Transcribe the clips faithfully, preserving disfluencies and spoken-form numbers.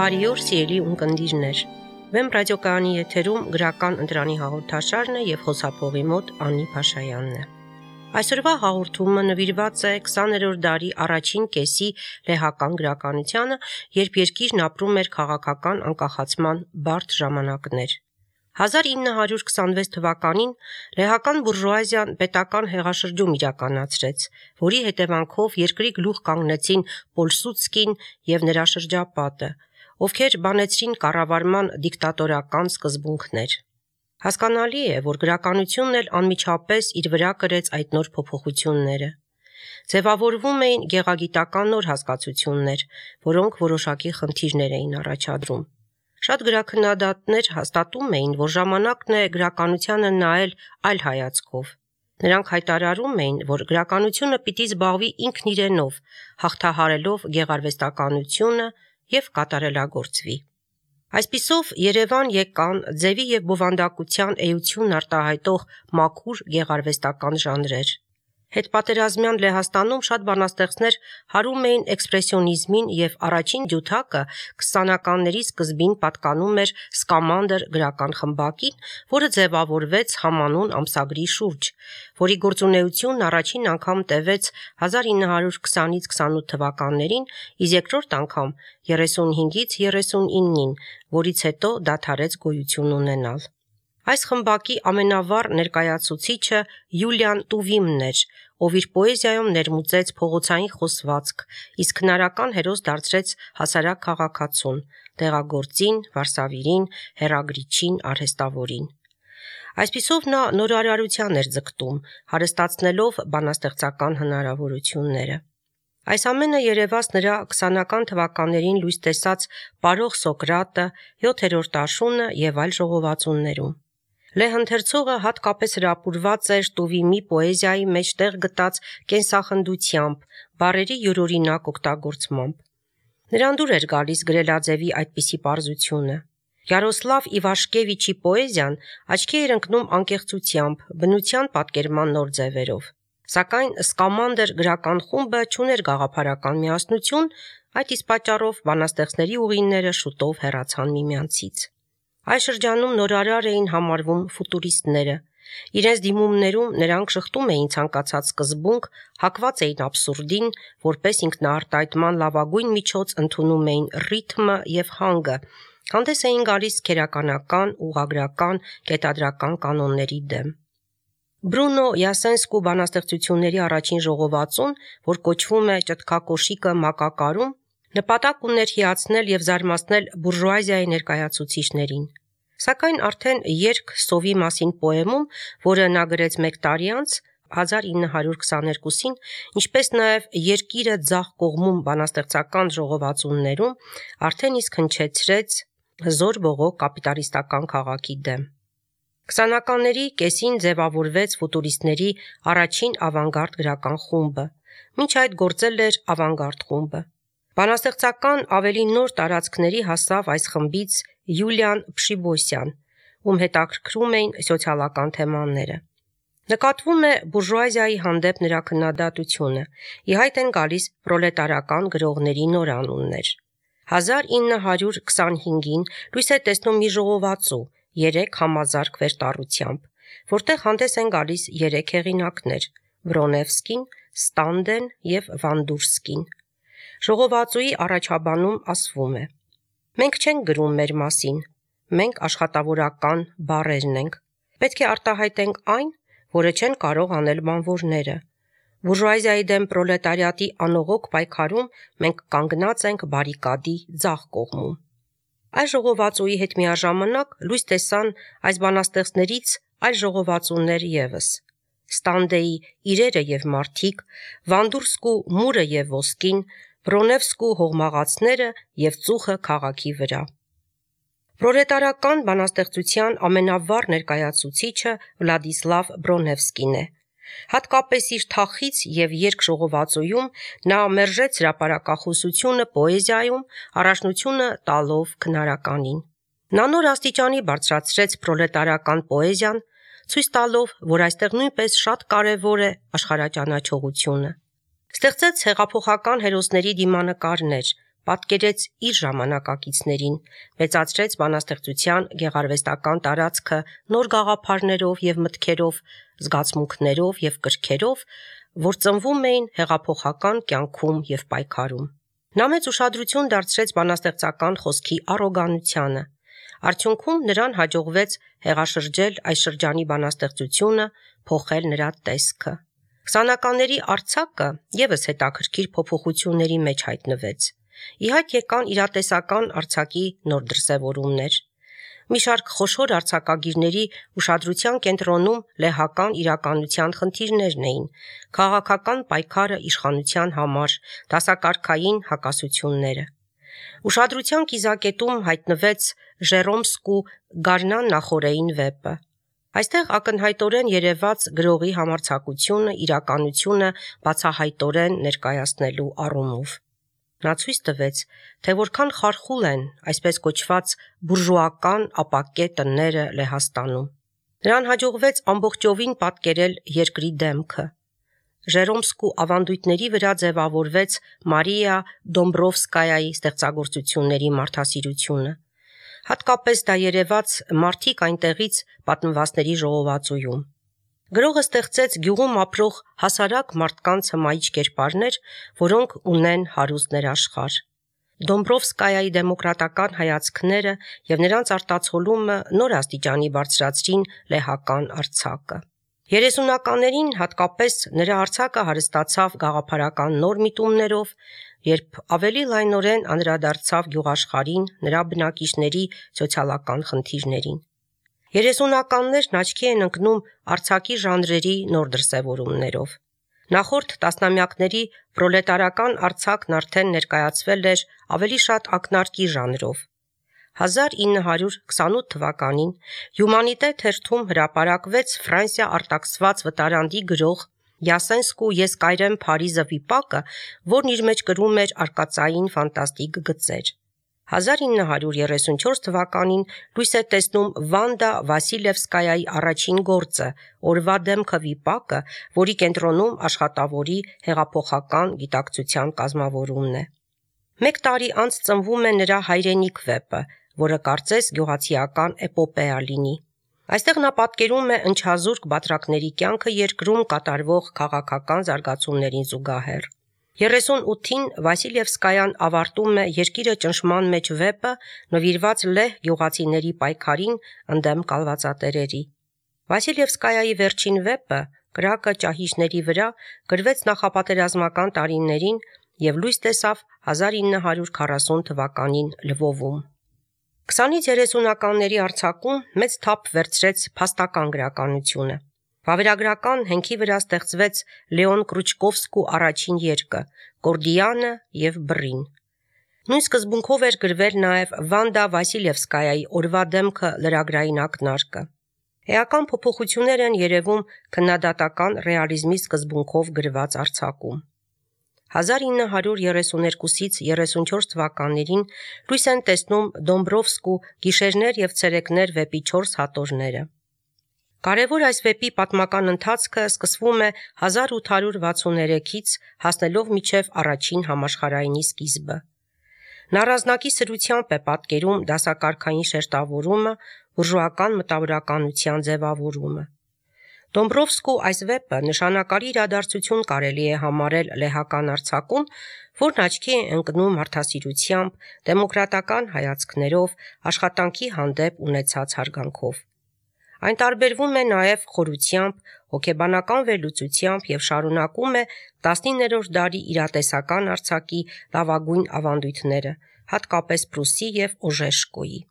Բարի օր, սիրելի ունկնդիրներ։ Վեմ ռադիոկայանի եթերում գրական ընտրանի հաղորդաշարն է եւ խոսափողի մոտ Անի Փաշայանն է։ Այսօրվա հաղորդումը նվիրված է քսաներորդ դարի առաջին կեսի լեհական գրականությանը, երբ երկիրն ապրում էր քաղաքական անկախացման բարդ ժամանակներ։ հազար ինը հարյուր քսանվեց թվականին լեհական բուրժուազիան պետական հեղաշրջում իրականացրեց, որի հետևանքով երկրի գլուխ կանգնեցին Պոլսուցկին եւ նրա շրջապատը, ովքեր բանեցրին կառավարման դիկտատորական սկզբունքներ։ Հասկանալի է, որ գրականությունն էլ անմիջապես իր վրա կրեց այդ նոր փոփոխությունները։ Ձևավորվում էին գեղագիտական նոր հասկացություններ, որոնք որոշակի խնդիրներ էին առաջադրում։ Շատ գրաքննադատներ հաստատում էին, որ ժամանակն է գրականությանը նայել այլ հայացքով։ Նրանք հայտարարում էին, որ գրականությունը պիտի զբաղվի ինքն իրենով, հաղթահարելով գեղարվեստականությունը եւ կատարելագործվի։ Այսպիսով Երևան եկան ձևի եւ բովանդակության էություն արտահայտող մաքուր գեղարվեստական ժանրեր։ Հետպատերազմյան Լեհաստանում շատ բանաստեղծներ հարում էին էքսպրեսիոնիզմին եւ առաջին ջութակը քսանականների սկզբին պատկանում էր Սկամանդր գրական խմբակին, որը ձևավորվեց համանուն ամսագրի շուրջ, որի գործունեությունն առաջին անգամ տևեց հազար ինը հարյուր քսանից քսանութ թվականներին, իսկ երկրորդ անգամ երեսունհինգից երեսունինին, որից հետո դադարեց գոյություն ունենալ։ Այս խմբակի ամենավառ ներկայացուցիչը Յուլիան Տուվիմն էր, ով իր պոեզիայում ներմուծեց փողոցային խոսվածք, իսկ քնարական հերոս դարձրեց հասարակ քաղաքացուն, դեղագործին, վարսավիրին, հեռագրիչին, արհեստավորին։ Այսպիսով նա նորարարության էր ձգտում, հարստացնելով բանաստեղծական հնարավորությունները։ Այս ամենը երևաց նրա քսանական թվականներին լույս տեսած Պարող Սոկրատը, յոթերորդ աշունը եւ այլ ժողովածուներում։ Լեհ ընթերցողը հատկապես հրապուրված էր Տուվիմի պոեզիայի մեջ տեղ գտած կենսախնդությամբ, բառերի յուրօրինակ օգտագործմամբ։ Նրան դուր էր գալիս գրելաձևի այդպիսի պարզությունը։ Յարոսլավ Իվաշկևիչի պոեզիան աչքի էր ընկնում անկեղծությամբ, բնության պատկերման նոր ձևերով։ Սակայն Սկամանդր գրական խումբը չուներ գաղափարական միասնություն, այդ իսկ պատճառով բանաստեղծների ուղիները շուտով հեռացան միմյանցից։ Այս շրջանում նորարար էին համարվում ֆուտուրիստները։ Իրենց դիմումներում նրանք շղթում էին ցանկացած սկզբունք, հակված էին աբսուրդին, որպես ինքնաարտահայտման լավագույն միջոց ընդունում էին ռիթմը եւ հանգը, հանդես էին գալիս քերականական, ուղղագրական, կետադրական կանոնների դեմ։ Բրունո Յասենսկու բանաստեղծությունների առաջին ժողովածուն, որ կոչվում է Ճտկակոշիկը մակակարում, նպատակ ուներ հիացնել եւ զարմացնել բուրժուազիայի ներկայացուցիչներին։ Սակայն արդեն Երգ սովի մասին պոեմում, որը նա գրեց մեկ տարի անց, հազար ինը հարյուր քսաներկուսին, ինչպես նաեւ Երկիրը ձախ կողմում բանաստեղծական ժողովածուներում, արդեն իսկ հնչեցրեց հզոր բողոք կապիտալիստական քաղաքի դեմ։ Քսանականների կեսին ձևավորվեց ֆուտուրիստների առաջին ավանգարդ գրական խումբը, մինչ այդ գործել էր ավանգարդ խումբը։ Բանաստեղծական ավելի նոր տարածքների հասավ այս խմբից Յուլիան Փշիբոսյան, ում հետաքրքրում էին սոցիալական թեմաները։ Նկատվում է բուրժուազիայի հանդեպ նրա քննադատությունը, ի հայտ են գալիս պրոլետարական գրողների նոր անուններ։ հազար ինը հարյուր քսանհինգին լույս է տեսնում մի ժողովածու երեք համազարգ վերտառությամբ, որտեղ հանդես են գալիս երեք հեղինակներ՝ Բրոնևսկին, Ստանդեն եւ Վանդուրսկին։ Ժողովածուի առաջաբանում ասվում է. «Մենք չենք գրում մեր մասին, մենք աշխատավորական բառերն ենք, պետք է արտահայտենք այն, որը չեն կարող անել բանվորները։ Բուրժուազիայի դեմ պրոլետարիատի անողոք պայքարում մենք կանգնած ենք բարիկադի ձախ կողմում»։ Այս ժողովածուի հետ միաժամանակ լույս տեսան այս բանաստեղծներից այլ ժողովածուներ եւս. Ստանդեի իրերը եւ մարդիկ, Վանդուրսկու մուրը եւ ոսկին, Բրոնևսկու հողմաղացները եւ ծուխը քաղաքի վրա։ Պրոլետարական բանաստեղծության ամենավառ ներկայացուցիչը Վլադիսլավ Բրոնևսկին է։ Հատկապես իր թախից եւ երգ ժողովածուում նա մերժեց հրապարակախոսությունը պոեզիայում, առաջնությունը տալով քնարականին։ Նա նոր աստիճանի բարձրացրեց պրոլետարական պոեզիան, ցույց տալով, որ այստեղ նույնպես շատ կարևոր է աշխարհաճանաչողությունը։ Ստեղծեց հեղափոխական հերոսների դիմանկարներ, պատկերեց իր ժամանակակիցներին, մեծացրեց բանաստեղծության գեղարվեստական տարածքը նոր գաղափարներով եւ մտքերով, զգացմունքներով եւ կրքերով, որ ծնվում էին հեղափոխական կյանքում եւ պայքարում։ Նա մեծ ուշադրություն դարձրեց բանաստեղծական խոսքի առոգանությանը։ Արդյունքում նրան հաջողվեց հեղաշրջել այս շրջանի բանաստեղծությունը, փոխել նրա տեսքը։ Քսանականների արձակը եւս հետաքրքիր փոփոխությունների մեջ հայտնվեց։ Ի հայտ եկան իրատեսական արձակի նոր դրսևորումներ։ Մի շարք խոշոր արձակագիրների ուշադրության կենտրոնում լեհական իրականության խնդիրներն էին, քաղաքական պայքարը իշխանության համար, դասակարգային հակասությունները։ Ուշադրության կիզակետում հայտնվեց Ժերոմսկու Գարնան նախօրեին վեպը։ Այստեղ ակնհայտորեն երևաց գրողի համարձակությունը իրականությունը բացահայտորեն ներկայացնելու առումով։ Նա ցույց տվեց, թե որքան խարխուլ են այսպես կոչված բուրժուական ապակե տները Լեհաստանում։ Նրան հաջողվեց ամբողջովին պատկերել երկրի դեմքը։ Ժերոմսկու ավանդույթների վրա ձևավորվեց Մարիա Դոմբրովսկայայի ստեղծագործությունների մարդասիրությունը։ Հատկապես դա երևաց մարդիկ այնտեղից պատմվածների ժողովածուում։ Գրողը ստեղծեց գյուղում ապրող հասարակ մարդկանց հմայիչ կերպարներ, որոնք ունեն հարուստ ներաշխար։ Դոմբրովսկայայի դեմոկրատական հայացքները եւ նրանց արտացոլումը նոր աստիճանի բարձրացրին լեհական արձակը։ երեսունականներին հատկապես նրա արձակը հարստացավ գաղափարական նոր միտումներով, երբ ավելի լայնորեն անդրադարձավ գյուղաշխարհին, նրա բնակիչների սոցիալական խնդիրներին։ Երեսունականներն աչքի են ընկնում արձակի ժանրերի նոր դրսևորումներով։ Նախորդ տասնամյակների պրոլետարական արձակն արդեն ներկայացվել էր ավելի շատ ակնարկի ժանրով։ հազար ինը հարյուր քսանութ թվականին Հյումանիտե թերթում հրապարակվեց Ֆրանսիա արտաքսված վտարանդի գրող Յասենսկու «Ես կայրեմ Փարիզը» վիպակը, որն իր մեջ կրում էր արկածային ֆանտաստիկ գծեր։ հազար ինը հարյուր երեսունչորս թվականին լույս է տեսնում Վանդա Վասիլևսկայայի առաջին գործը «Օրվա դեմքը» վիպակը, որի կենտրոնում աշխատավորի հեղափոխական գիտակցության կազմավորումն է։ Մեկ տարի անց ծնվում է նրա հայրենիք վեպը, որը կարծես գյուղացիական էպոպեա լինի։ Այստեղ նա պատկերում է ընչազուրկ բատրակների կյանքը երկրում կատարվող քաղաքական զարգացումներին զուգահեռ։ երեսունութին Վասիլևսկայան ավարտում է Երկիրը ճնշման մեջ վեպը, նվիրված լեհ գյուղացիների պայքարին ընդդեմ կալվածատերերի։ Վասիլևսկայայի վերջին վեպը «Կրակը ճահիճների վրա» գրվեց նախապատերազմական տարիներին եւ լույս տեսավ հազար ինը հարյուր քառասուն թվականին Լվովում։ քսանից երեսունականների արձակում մեծ թափ վերցրեց փաստական գրականությունը։ Վավերագրական հենքի վրա ստեղծվեց Լեոն Կրուչկովսկու առաջին երկը «Կորդիանը» եւ «Բռին»։ Նույն սկզբունքով էր գրվել նաեւ Վանդա Վասիլևսկայայի «Օրվա դեմքը» լրագրային ակնարկը։ Էական փոփոխություններ են երևում քննադատական ռեալիզմի սկզբունքով գրված արձակում։ հազար ինը հարյուր երեսուներկուսից երեսունչորս թվականներին լույս են տեսնում Դոմբրովսկու «Գիշերներ եւ ցերեկներ» վեպի չորս հատորները։ Կարևոր այս վեպի պատմական ընթացքը սկսվում է հազար ութ հարյուր վաթսուններեքից հասնելով մինչև առաջին համաշխարհայինի սկիզբը։ Նա առանձնակի սրությամբ է պատկերում դասակարգային շերտավորումը, բուրժուական մտավորականության ձևավորումը։ Դոմբրովսկու այս վեպը նշանակալի իրադարձություն կարելի է համարել լեհական արձակում, որն աչքի է ընկնում մարդասիրությամբ, դեմոկրատական հայացքներով, աշխատանքի հանդեպ ունեցած հարգանքով։ Այն տարբերվում է նաև խորությամբ, հոգեբանական վերլուծությամբ եւ շարունակում է տասնիններորդ դարի իրատեսական արձակի լավագույն ավանդույթները, հատկապես Պրուսի եւ Օժեշկոյի։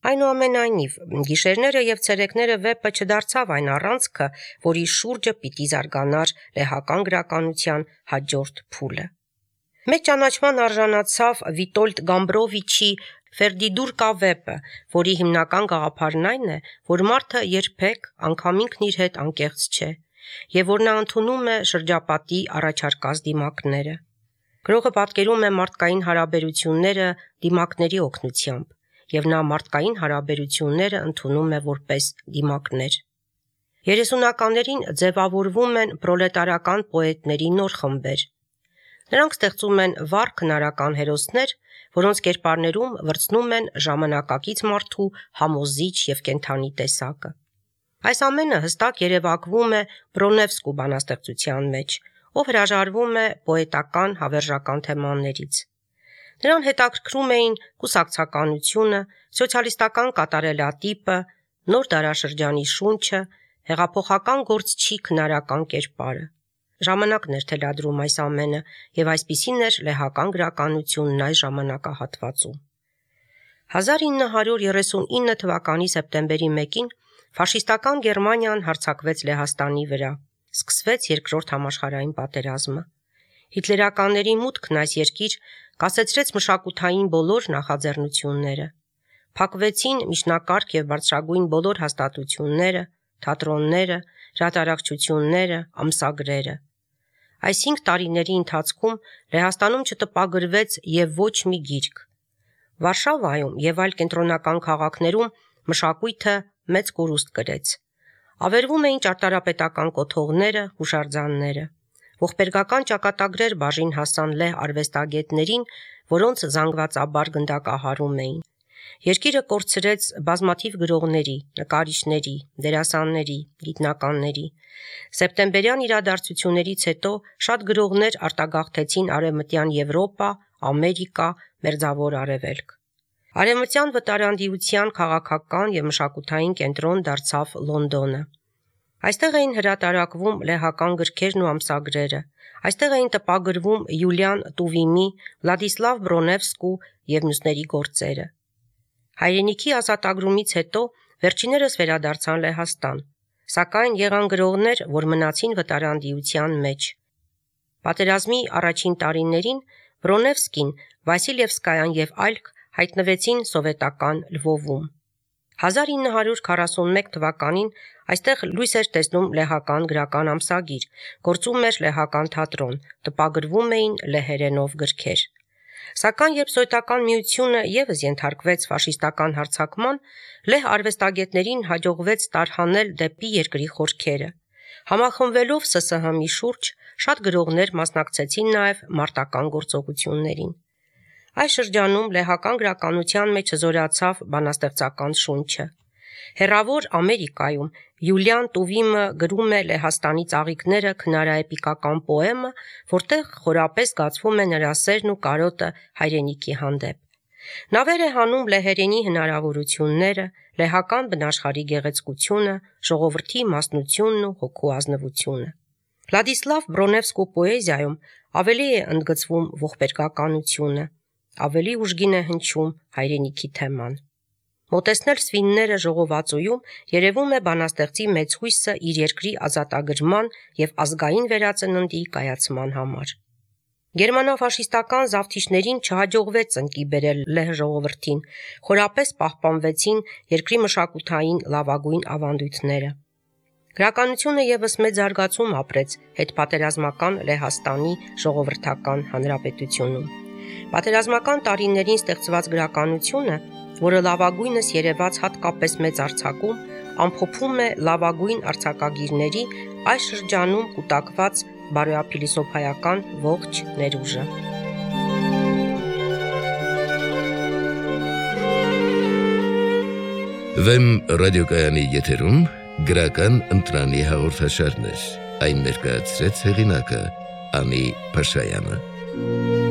Այնուամենայնիվ, «Գիշերները եւ ցերեկները» վեպը չդարձավ այն առանցքը, որի շուրջը պիտի զարգանար լեհական գրականության հաջորդ փուլը։ Մեծ ճանաչման արժանացավ Վիտոլդ Գամբրովիչի «Ֆերդիդուրկա» վեպը, որի հիմնական գաղափարն այն է, որ մարդը երբեք անգամ ինքն իր հետ անկեղծ չէ, եւ որ նա ընդունում է շրջապատի առաջարկած դիմակները։ Գրողը պատկերում է մարդկային հարաբերությունները դիմակների օգնությամբ, եւ նա մարդկային հարաբերությունները ընդունում է որպես դիմակներ։ երեսունականներին ձևավորվում են պրոլետարական պոետների նոր խմբեր։ Նրանք ստեղծում են վառ քնարական հերոսներ, որոնց կերպարներում վրձնում են ժամանակակից մարդու համոզիչ և կենդանի տեսակը։ Այս ամենը հստակ երևակվում է Բրոնևսկու բանաստեղծության մեջ, ով հրաժարվում է պոետական հավերժական թեմաներից։ Նրան հետաքրքրում էին կուսակցականությունը, սոցիալիստական կատարելատիպը, նոր դարաշրջանի շունչը, հեղափոխական գործչի քնարական կերպարը։ Ժամանակն էր թելադրում այս ամենը, և այսպիսին էր լեհական գրականությունն այս ժամանակահատվածում։ հազար ինը հարյուր երեսունինը թվականի սեպտեմբերի մեկին ֆաշիստական Գերմանիան հարձակվեց Լեհաստանի վրա, սկսվեց երկրորդ համաշխարհային պատերազմը։ Հիտլերականների մուտքն այս երկիր կասեցրեց մշակութային բոլոր նախաձեռնությունները։ Փակվեցին միջնակարգ և բարձրագույն բոլոր հաստատությունները, թատրոնները, հրատարակչությունները, ամսագրերը։ Այս հինգ տարիների ընթացքում Լեհաստանում չտպագրվեց և ոչ մի գիրք։ Վարշավայում և այլ կենտրոնական քաղաքներում մշակույթը մեծ կորուստ կրեց։ Ավերվում էին ճարտարապետական կոթողները, հուշարձանները։ Ողբերգական ճակատագրեր բաժին հասան լեհ արվեստագետներին, որոնց զանգվածաբար գնդակահարում էին։ Երկիրը կորցրեց բազմաթիվ գրողների, նկարիչների, դերասանների, գիտնականների։ Սեպտեմբերյան իրադարձություններից հետո շատ գրողներ արտագաղթեցին Արևմտյան Եվրոպա, Ամերիկա, Մերձավոր Արևելք։ Արևմտյան վտարանդիության քաղաքական և մշակութային կենտրոն դարձավ Լոնդոնը։ Այստեղ էին հրատարակվում լեհական գրքերն ու ամսագրերը, այստեղ էին տպագրվում Յուլիան Տուվիմի, Վլադիսլավ Բրոնևսկու և մյուսների գործերը։ Հայրենիքի ազատագրումից հետո վերջիններս վերադարձան Լեհաստան, սակայն եղան գրողներ, որ մնացին վտարանդիության մեջ։ Պատերազմի առաջին տարիներին Բրոնևսկին, Վասիլևսկայան և այլք հայտնվեցին սովետական Լվովում։ հազար ինը հարյուր քառասունմեկ թվականին այստեղ լույս էր տեսնում լեհական գրական ամսագիր, գործում էր լեհական թատրոն, տպագրվում էին լեհերենով գրքեր։ Սակայն երբ Սովետական միությունը ևս ենթարկվեց ֆաշիստական հարձակման, լեհ արվեստագետներին հաջողվեց տարհանել դեպի երկրի խորքերը։ Համախմբվելով Ս Ս Հ-ի շուրջ, շատ գրողներ մասնակցեցին նաև մարտական գործողություններին։ Այս շրջանում լեհական գրականության մեջ հզորացավ բանաստեղծական շունչը։ Հեռավոր Ամերիկայում Յուլիան Տուվիմը գրում է Լեհաստանի ծաղիկները քնարաէպիկական պոեմը, որտեղ խորապես զգացվում է նրա սերն ու կարոտը հայրենիքի հանդեպ։ Նավեր է հանում լեհերենի հնարավորությունները, լեհական բնաշխարհի գեղեցկությունը, ժողովրդի մասնությունն ու հոգու ազնվությունը։ Վլադիսլավ Բրոնևսկու պոեզիայում ավելի է ընդգծվում ողբերգականությունը, ավելի ուժգին է հնչում հայրենիքի թեման։ Մոտեցնել սվինները ժողովածուում երևում է բանաստեղծի մեծ հույսը իր երկրի ազատագրման և ազգային վերածննդի կայացման համար։ Գերմանա-ֆաշիստական զավթիչներին չհաջողվեց ծնկի բերել լեհ ժողովրդին, խորապես պահպանվեցին երկրի մշակութային լավագույն ավանդույթները։ Գրականությունը ևս մեծ զարգացում ապրեց հետպատերազմական Լեհաստանի ժողովրդական հանրապետությունում։ Պատերազմական տարիներին ստեղծված գրականությունը, որը լավագույնս երևաց հատկապես մեծ արձակում, ամփոփում է լավագույն արձակագիրների այս շրջանում կուտակված բարոյափիլիսոփայական ողջ ներուժը։ Վեմ ռադիոկայանի եթերում գրական ընտրանի հաղորդաշարներ, այն ներկայացրեց հեղինակը Անի Փաշայանը։